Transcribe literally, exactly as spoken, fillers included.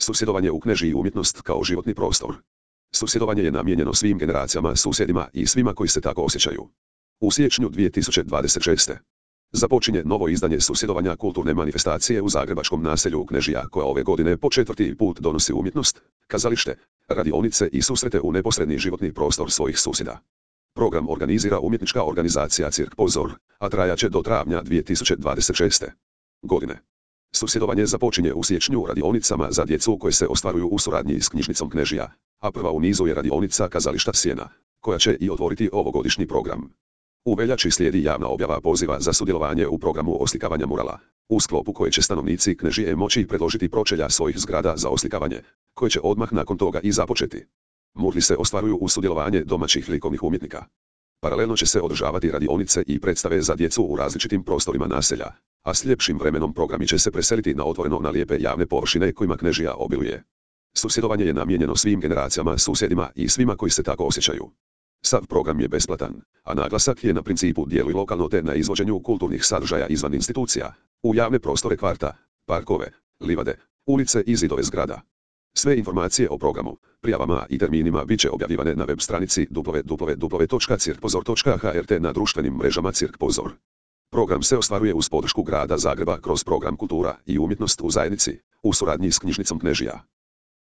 Susjedovanje u Knežiji umjetnost kao životni prostor. Susjedovanje je namijenjeno svim generacijama, susjedima i svima koji se tako osjećaju. U siječnju dvije tisuće dvadeset šeste. započinje novo izdanje susjedovanja kulturne manifestacije u zagrebačkom naselju Knežija, koja ove godine po četvrti put donosi umjetnost, kazalište, radionice i susrete u neposredni životni prostor svojih susjeda. Program organizira umjetnička organizacija Cirk Pozor, a trajaće do travnja dvije tisuće dvadeset šeste. godine. Susjedovanje započinje u siječnju radionicama za djecu koje se ostvaruju u suradnji s knjižnicom Knežija, a prva u nizu je radionica Kazališta Sjena, koja će i otvoriti ovogodišnji program. U veljači slijedi javna objava poziva za sudjelovanje u programu oslikavanja murala, u sklopu koje će stanovnici Knežije moći predložiti pročelja svojih zgrada za oslikavanje, koje će odmah nakon toga i započeti. Murali se ostvaruju u sudjelovanje domaćih likovnih umjetnika. Paralelno će se održavati radionice i predstave za djecu u različitim prostorima naselja, a s ljepšim vremenom programi će se preseliti na otvoreno na lijepe javne površine kojima Knežija obiluje. Susjedovanje je namijenjeno svim generacijama, susjedima i svima koji se tako osjećaju. Sav program je besplatan, a naglasak je na principu djeluj lokalno te na izvođenju kulturnih sadržaja izvan institucija, u javne prostore kvarta, parkove, livade, ulice i zidove zgrada. Sve informacije o programu, prijavama i terminima bit će objavljivane na web stranici w w w točka cirk pozor točka h r te na društvenim mrežama Cirk Pozor. Program se ostvaruje uz podršku grada Zagreba kroz program Kultura i umjetnost u zajednici, u suradnji s knjižnicom Knežija.